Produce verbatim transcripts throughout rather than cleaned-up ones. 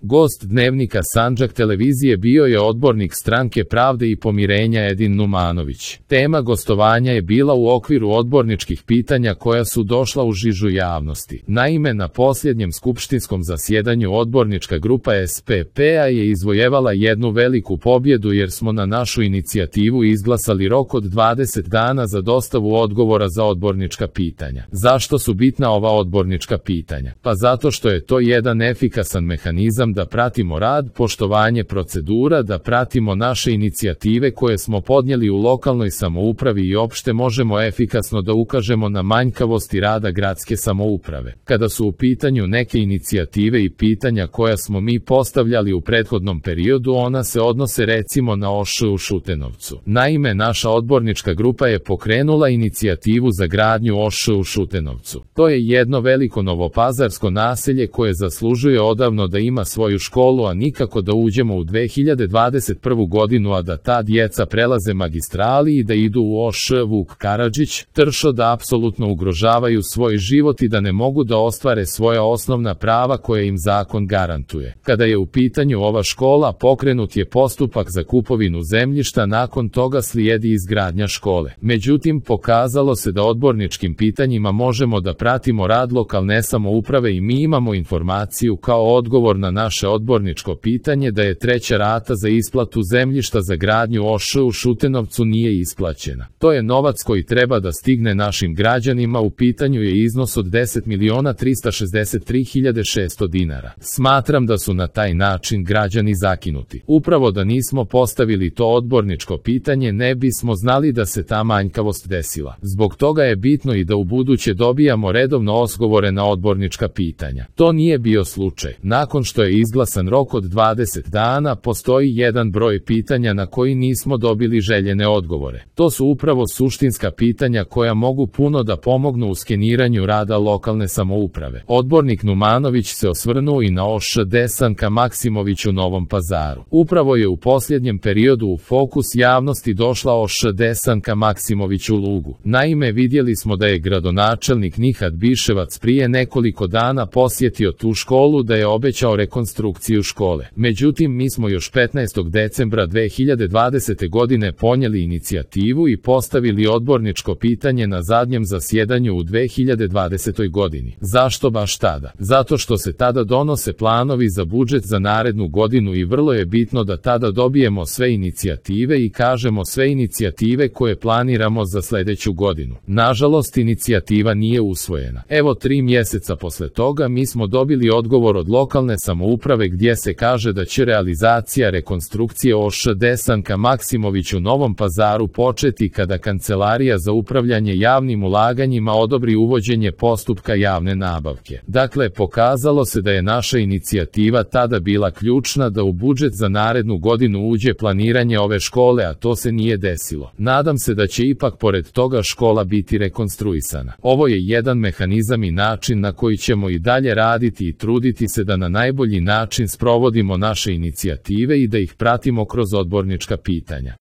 Gost Dnevnika Sandžak televizije bio je odbornik Stranke pravde i pomirenja Edin Numanović. Tema gostovanja je bila u okviru odborničkih pitanja koja su došla u žižu javnosti. Naime, na posljednjem skupštinskom zasjedanju odbornička grupa S P P-a je izvojevala jednu veliku pobjedu jer smo na našu inicijativu izglasali rok od dvadeset dana za dostavu odgovora za odbornička pitanja. Zašto su bitna ova odbornička pitanja? Pa zato što je to jedan efikasan mehanizam da pratimo rad, poštovanje procedura, da pratimo naše inicijative koje smo podnijeli u lokalnoj samoupravi i opšte možemo efikasno da ukažemo na manjkavosti rada gradske samouprave. Kada su u pitanju neke inicijative i pitanja koja smo mi postavljali u prethodnom periodu, ona se odnose recimo na O Š u Šutenovcu. Naime, naša odbornička grupa je pokrenula inicijativu za gradnju O Š u Šutenovcu. To je jedno veliko novopazarsko naselje koje zaslužuje odavno da ima svoju školu, a nikako da uđemo u dve hiljade dvadeset prvu godinu, a da ta djeca prelaze magistrali i da idu u O Š Vuk Karadžić, Tršo, da apsolutno ugrožavaju svoj život i da ne mogu da ostvare svoja osnovna prava koje im zakon garantuje. Kada je u pitanju ova škola, pokrenut je postupak za kupovinu zemljišta, nakon toga slijedi izgradnja škole. Međutim, pokazalo se da odborničkim pitanjima možemo da pratimo rad lokalne samouprave i mi imamo informaciju kao odgovor na naše odborničko pitanje da je treća rata za isplatu zemljišta za gradnju O Š u Šutenovcu nije isplaćena. To je novac koji treba da stigne našim građanima, u pitanju je iznos od deset miliona trista šezdeset tri hiljade šesto dinara. Smatram da su na taj način građani zakinuti. Upravo da nismo postavili to odborničko pitanje, ne bismo znali da se ta manjkavost desila. Zbog toga je bitno i da u buduće dobijamo redovno odgovore na odbornička pitanja. To nije bio slučaj. Nakon što je izglasan rok od dvadeset dana, postoji jedan broj pitanja na koji nismo dobili željene odgovore. To su upravo suštinska pitanja koja mogu puno da pomognu u skeniranju rada lokalne samouprave. Odbornik Numanović se osvrnuo i na O Š Desanka Maksimović u Novom Pazaru. Upravo je u posljednjem periodu u fokus javnosti došla O Š Desanka Maksimović u Lugu. Naime, vidjeli smo da je gradonačelnik Nihat Biševac prije nekoliko dana posjetio tu školu, da je obećao rekonstrukciju škole. Međutim, mi smo još petnaestog decembra dve hiljade dvadesete godine ponijeli inicijativu i postavili odborničko pitanje na zadnjem zasjedanju u dve hiljade dvadesetoj godini. Zašto baš tada? Zato što se tada donose planovi za budžet za narednu godinu i vrlo je bitno da tada dobijemo sve inicijative i kažemo sve inicijative koje planiramo za sljedeću godinu. Nažalost, inicijativa nije usvojena. Evo, tri mjeseca posle toga mi smo dobili odgovor od lokalne samouprave gdje se kaže da će realizacija rekonstrukcije O Š Desanka Maksimović u Novom Pazaru početi kada Kancelarija za upravljanje javnim ulaganjima odobri uvođenje postupka javne nabavke. Dakle, pokazalo se da je naša inicijativa tada bila ključna da u budžet za narednu godinu uđe planiranje ove škole, a to se nije desilo. Nadam se da će ipak pored toga škola biti rekonstruisana. Ovo je jedan mehanizam i način na koji ćemo i dalje raditi i truditi se da na najbolji način sprovodimo naše inicijative i da ih pratimo kroz odbornička pitanja.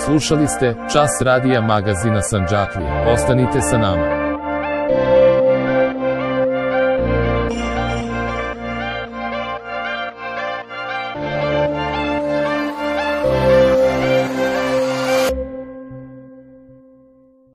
Slušali ste Čas radija magazina Sandžaklija. Ostanite sa nama.